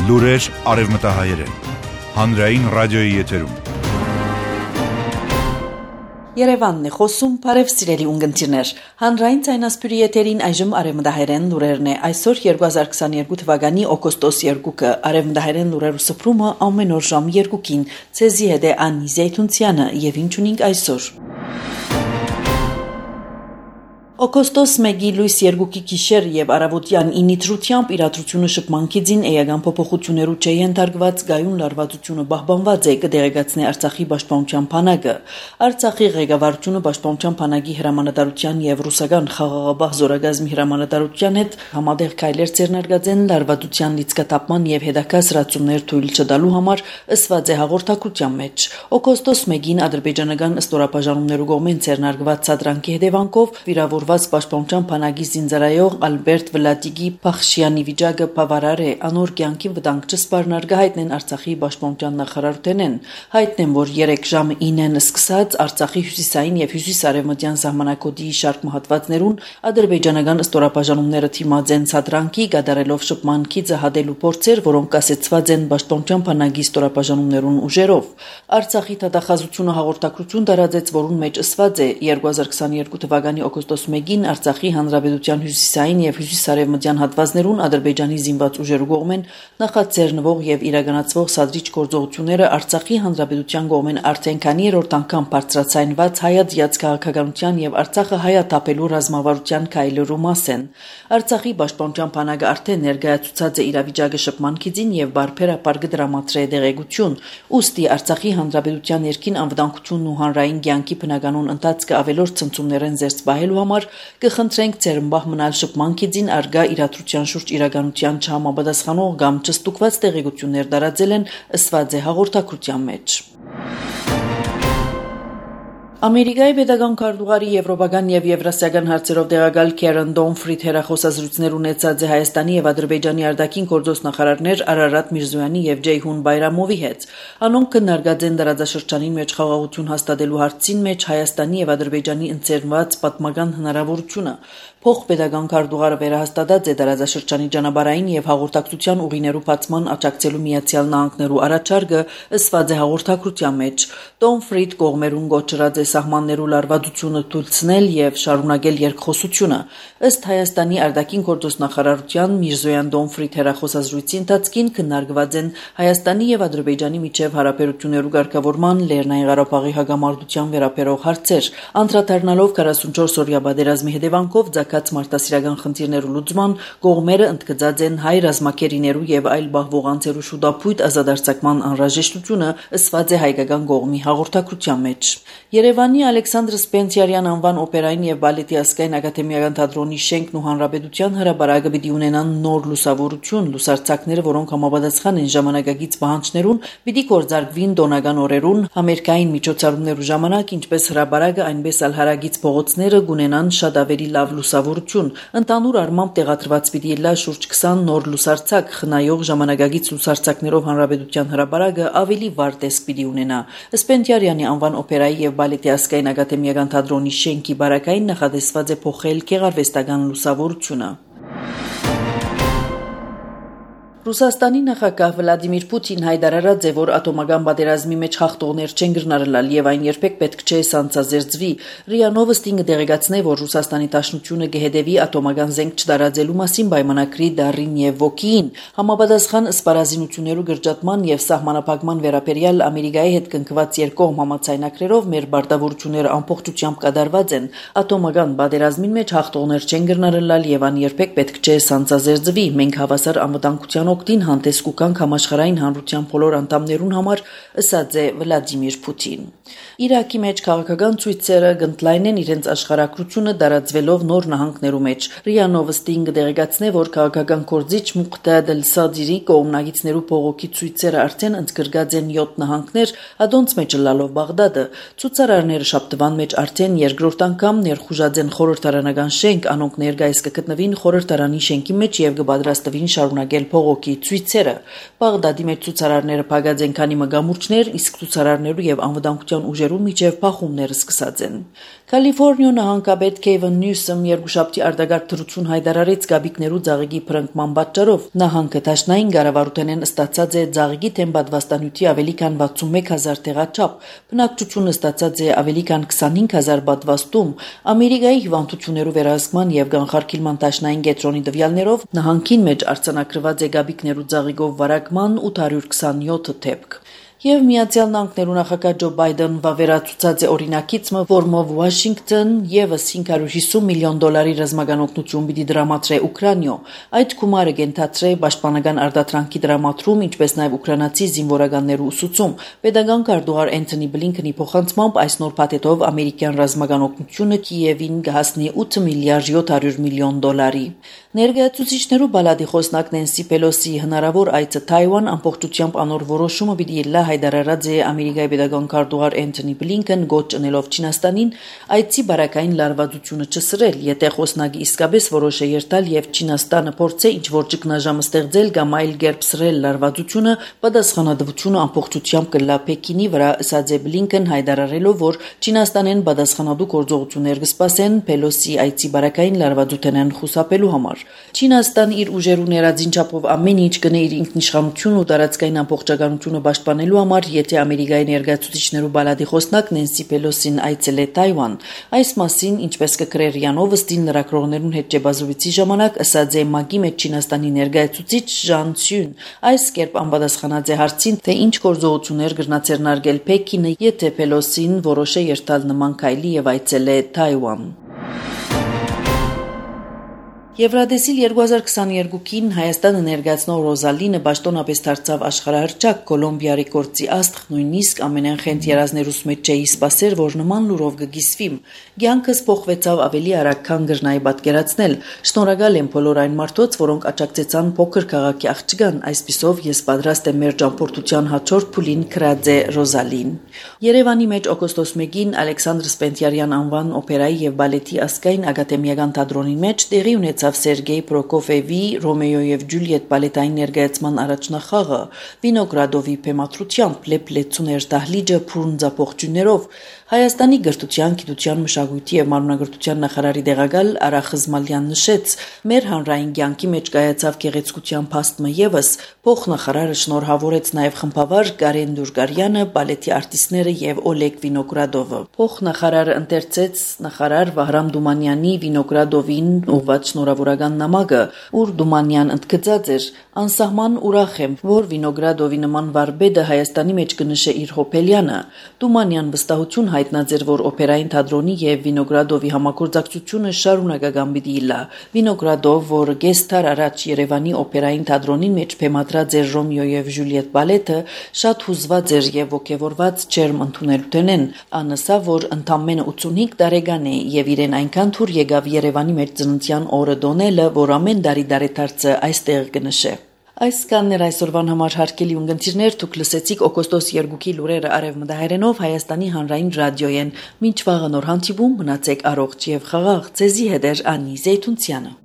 Լուրեր արևմտահայերեն, հանրային ռադիոյի եթերում։ Երևանն է խոսում, բարև սիրելի ունգընտիրներ։ Հանրային ցայնասպյուրի եթերին այժմ արևմտահայերեն լուրերն է։ Այսօր 2022 թվականի օգոստոս 2-ը արևմտահայերեն լուրերու սփռումը ամեն օր ժամ 2-ին։ Ցեզի հետ է Անի Զեյթունցյանը եւ ինչ ունենք այսօր։ Օգոստոս 1-ի լույս 2-ի գիշեր եւ առավոտյան 9-ի դրությամբ իրադրությունը շփմանքի ձին էական փոփոխություններու չէ ենթարկված գայուն լարվածությունը պահպանված է կդեղեկացնի Արցախի պաշտպանության բանակը։ Արցախի ղեկավարությունը պաշտպանության բանակի հրամանատարության եւ ռուսական խաղաղապահ զորագազմի հրամանատարության հետ համատեղ քայլեր ձեռնարկած են լարվածության լիցքաթափման եւ հետագա սրացումներ թույլ չտալու համար ըսված է հաղորդակցության մեջ։ Օգոստոս 1-ին ադրբեջանական ստորապաժանումներու կողմեն ձեռնարկված սադրանքի հետևանքով վիրավոր Պաշտպանության բանակի զինծառայող Ալբերտ Վլադիգի Փախշյանի վիճակը բավարար է, անոր կյանքի վտանգ չսպառնարգ հայտնեն Արցախի պաշտպանության նախարարութենեն։ Հայտնեն, որ 3 ժամը 9-ն սկսած Արցախի հյուսիսային եւ հյուսիսարևմտյան սահմանակոդի շարք մահատվածներուն ադրբեջանական ստորապաժանումները թիմած են սադրանքի կատարելով շփմանքի զհադելու փորձեր, որոնք կասեցված են պաշտպանության բանակի ստորապաժանումներուն ուժերով։ Արցախի դատախազությունը հաղորդակցություն տարածեց, որուն մեջ ըսված է 2022 թվականի օգոստոս 1-ին Արցախի հանրապետության հյուսիսային եւ հյուսիսարևմտյան հատվածներուն Ադրբեջանի զինված ուժերու կողմեն նախաձեռնվող եւ իրականացվող սադրիչ գործողությունները Արցախի հանրապետության կողմեն արդեն քանի երրորդ անգամ բարձրացանված հայացած քաղաքականության եւ Արցախը հայաթափելու ռազմավարության քայլերու մաս են։ Արցախի պաշտպանության բանակը արդեն ներկայացուցած է իրավիճակը շփմանքի ձին եւ բարբերաբար կդրամատրե դեղեցություն։ Ուստի Արցախի հանրապետության ներքին անվտանգությունն ու հանրային կյանքի բնականon ընթացքը ավելորդ ցնցումներ են զերծ բահելու համար կխնդրենք ծերմբահ մնալ շփմանքի ձին արգա իրադրության շուրջ իրականության չհամապատասխանող կամ չստուգված տեղեկություններ տարածել են ըսված է հաղորդակցության մեջ։ Ամերիկայի պետական քարտուղարի եվրոպական եւ եվրասիական հարցերով տեղակալ Քերեն Դոնֆրիդ հերախոսազրույցներ ունեցած է Հայաստանի եւ Ադրբեջանի արտաքին գործոստ նախարարներ Արարատ Միրզոյանի եւ Ջեյհուն Բայրամովի հետ։ Անոնք քննարկած են տարածաշրջանին մեջ խաղաղություն հաստատելու հարցին մեջ Հայաստանի եւ Ադրբեջանի ընձեռնված պատմական հնարավորությունը։ Փոխպետական քարտուղարը վերահաստատած է տարածաշրջանի ճանապարհային եւ հաղորդակցության ուղիներու բացման աջակցելու Միացյալ Նահանգներու առաջարկը ըսված է հաղորդակցության մեջ։ Դոնֆրիդ կողմերուն գոչրած է սահմաններու լարվածությունը թույլտնել եւ շարունակել երկխոսությունը։ Ըստ Հայաստանի արտաքին գործոստ նախարարության Միրզոյան Դոնֆրիդ հերախոսազրույցի ընթացքին քննարկված են Հայաստանի եւ Ադրբեջանի միջև հարաբերություններու ղեկավարման Լեռնային Ղարաբաղի հագամարտության վերաբերող հարցեր։ Անդրադառնալով 44 օրյա պատերազմի հետևանքով մարտահրավերական խնդիրներու լուծման կողմերը ընդգծած են հայ ռազմակերիներու եւ այլ բահվողանցերու շուտապույտ ազատարձակման անհրաժեշտությունը ըսված է հայկական կողմի հաղորդակցության մեջ։ Երևանի Ալեքսանդր Սպենսիարյան անվան օպերային եւ բալետի ազգային ակադեմիական թատրոնի շենքն ու հանրապետության հրապարակը պիտի ունենան նոր լուսավորություն, լուսարձակները, որոնք համապատասխան են ժամանակակից պահանջներուն, պիտի գործարկվին տոնական օրերուն, համերգային միջոցառումներու ժամանակ, ինչպես հրապարակը, այնպես էլ հարագից փողոցները կունենան շատ ավելի լավ լուսավորություն։ Ընդհանուր առմամբ տեղադրված պիտի լա շուրջ 20 նոր լուսարձակ, խնայող ժամանակակից լուսարձակներով հանրապետության հրապարակը ավելի վառ տեսք պիտի ունենա։ Սպենսիարյանի անվան օպերայի եւ բալետի ազգային ակադեմիական թատրոնի շենքի բարակային նախադեсված է փոխել գեղարվեստական լուսավորությունը։ Ռուսաստանի նախագահ Վլադիմիր Պուտին հայտարարած է, որ ատոմական պատերազմի մեջ հաղթողներ չեն գրնարել եւ այն երբեք պետք չէ սանձազերծվի։ ՌԻԱ Նովոստին դեղեկացնե, որ Ռուսաստանի Դաշնությունը կհետևի ատոմական զենք չտարածելու մասին պայմանագրի դարին եւ ոգիին։ Համապատասխան սպառազինություններու գրջատման եւ սահմանափակման վերաբերյալ Ամերիկայի հետ կնքված երկկողմ համաձայնագրերով մեր բարտավորությունները ամբողջությամբ կատարված են։ Ատոմական պատերազմին մեջ հաղթողներ չեն գրնարել եւ այն երբեք պետք չէ սանձազերծվի։ Մենք հավասար անվտանգության օգտին հանդես կուկանք համաշխարհային հանրության բոլոր անդամներուն համար, ըսած է Վլադիմիր Պուտին։ Իրաքի մեջ քաղաքական ցույցերը գտնլայնեն իրենց աշխարհակրությունը տարածվելով նոր նահանգներու մեջ։ ՌԻԱ Նովոստին դեղեկացնե, որ քաղաքական կորձիչ Մուղտադ Էլ-Սադիրի կողմնակիցներու բողոքի ցույցերը արդեն ընդգրկած են 7 նահանգներ, ադոնց մեջ լալով Բաղդադը։ Ցուցարարները շաբթվան մեջ արդեն երկրորդ անգամ ներխուժած են խորհրդարանական շենք, անոնք ներկայիս կգտնվին խորհրդարանի շենքի մեջ եւ կպատրաստվին շարունակել բողոքի ցույցերը։ Բաղդադի մեջ ցուցարարները փակած են քանի մգամուրչներ, իսկ ցուցարարներու եւ անվտանգության ուժերու միջև փախումները սկսած են։ Կալիֆորնիա նահանգապետ Քեյվին Նյուսոմ երկուշաբթի արտագաղթ դրություն հայտարարեց գաբիկներու ծաղիկի փրկման պատճառով նահանգը դաշնային կառավարութենեն ստացած է ծաղիկի թեմ պատվաստանյութի ավելի քան 61000 տեղաչափ, բնակչությունը ստացած է ավելի քան 25000 պատվաստում, Ամերիկայի հիվանդություններու վերահսկման եւ կանխարգելման դաշնային կենտրոնի տվյալներով նահանգին մեջ արձանագրված է գաբիկներու ծաղիկով վարակման 827 դեպք։ Եվ Միացյալ Նահանգներու նախագահ Ջո Բայդեն վավերացուցած է օրինակիցը, որմով Վաշինգտոն եւս $550 միլիոն ռազմական օգնություն պիտի դրամատրե Ուկրաինա։ Այդ գումարը կենթացրե պաշտպանական արտադրանքի դրամատրում, ինչպես նաեւ ուկրաինացի զինվորականներու ուսուցում։ Պետական քարտուղար Էնթոնի Բլինքենի փոխանցմամբ այս նոր փաթեթով ամերիկյան ռազմական օգնությունը Կիևին կհասնի $8.7 միլիոն։ Ներկայացուցիչներու բալադի խոսնակ Նենսի Պելոսի հնարավոր այցը Թայվան ամբողջությամբ անոր որոշումը պիտի լա հայտարարած է Ամերիկայի պետական քարտուղար Էնթոնի Բլինքեն գոչ ընելով Չինաստանին այցի բարակային լարվածությունը չսրել, եթե խոսնակը իսկապես որոշ է երթալ եւ Չինաստանը փորձե ինչ-որ ճգնաժամ ստեղծել կամ այլ կերպ սրել լարվածությունը, պատասխանատվությունը ամբողջությամբ կլա Պեկինի վրա, ասաց է Բլինքեն հայտարարելով, որ Չինաստանեն պատասխանատու գործողություններ կսպասեն Պելոսի այցի բարակային լարվածութենեն խուսափելու համար։ Չինաստան իր ուժերու ներածին չափով ամեն ինչ կնե իր ինքնիշխանություն ու տարածքային ամբողջականությունը պաշտպանելու համար, եթե Ամերիկայի ներկայացուցիչներու բալադի խոսնակ Նենսի Պելոսին այցել է Թայվան։ Այս մասին, ինչպես կգրեր Յանովստին լրագրողներուն հետ ճեպազրույցի ժամանակ, ասաց է ՄԱԿ-ի մեջ Չինաստանի ներկայացուցիչ Ժան Ցյուն։ Այս կերպ անպատասխանած է հարցին, թե ինչ գործողություններ կրնացերնարգել Պեկինը, եթե Պելոսին որոշ է երթալ նման քայլի եւ այցել է Թայվան։ Եվրադեսիլ 2022-ին Հայաստանը ներկայացնող Ռոզալինը պաշտոնապես դարձավ աշխարհահռչակ Կոլումբիա ռեկորդի աստղ, նույնիսկ ամենախենթ երազներուս մեջ չէի սպասեր, որ նման լուրով կգիսվի։ Կյանքս փոխվեցավ ավելի արագ, քան գրնայի պատկերացնել։ Շնորհակալ եմ բոլոր այն մարդոց, որոնք աջակցեցան փոքր քաղաքի աղջկան, այսպիսով ես պատրաստ եմ մեր ճամփորդության հաջորդ փուլին գրած է Ռոզալին։ Երևանի մեջ օգոստոս 1-ին Ալեքսանդր Սպենդիարյան անվան օպերայի եւ բալետի ազգային ակադեմիական թատրոնի մեջ տեղի ունեցավ Սերգեյ Պրոկոֆևի Ռոմեո եւ Ջուլիետ բալետային ներկայացման առաջնախաղը Վինոգրադովի փեմատրությամբ լեփլեցուներ դահլիճը փուրնձապողջուններով Հայաստանի գրթության, գիտության, մշակույթի եւ մարմնագրթության նախարարի դեղակալ Արա Խզմալյան նշեց. «Մեր հանրային կյանքի մեջ կայացավ գեղեցկության փաստը եւս փոխնախարարը շնորհավորեց նաեւ խմբավար Կարեն Դուրգարյանը, բալետի արտիստները եւ Օլեգ Վինոգրադովը»։ Փոխնախարարը ընթերցեց նախարար Վահրամ Դումանյանի Վինոգրադովին ուղղված շնորհավորական նամակը, ուր Դումանյան ընդգծած էր. «Անսահման ուրախ եմ, որ Վինոգրադովի նման վարպետը Հայաստանի մեջ կնշե իր հոբելյանը»։ Դումանյան վստահություն հայտնած էր, որ օպերային թատրոնի եւ Վինոգրադովի համագործակցությունը շարունակական պիտի լա։ Վինոգրադով, որ կես դար առաջ Երևանի օպերային թատրոնի մեջ փեմատրած էր Ռոմեո եւ Ջուլիետ բալետը, շատ հուզված էր եւ ոգևորված ջերմ ընդունելութենեն։ Անսա, որ ընդամենը 85 տարեկան է եւ իրեն այնքան թուր եկավ Երևանի մեջ ծննդյան օրը դոնելը, որ ամեն տարի դարեթարցը այստեղ կնշե։ Այս կաններ այսօրվան համար հարգելի ունգընտիրներ, դուք լսեցիք օգոստոս 2-ի լուրերը արևմտահայերենով Հայաստանի հանրային ռադիոյեն։ Մինչ վաղը նոր հանդիպում, մնացեք առողջ եւ խաղաղ։ Ձեզի հետ է Անի Զեյթունցյանը։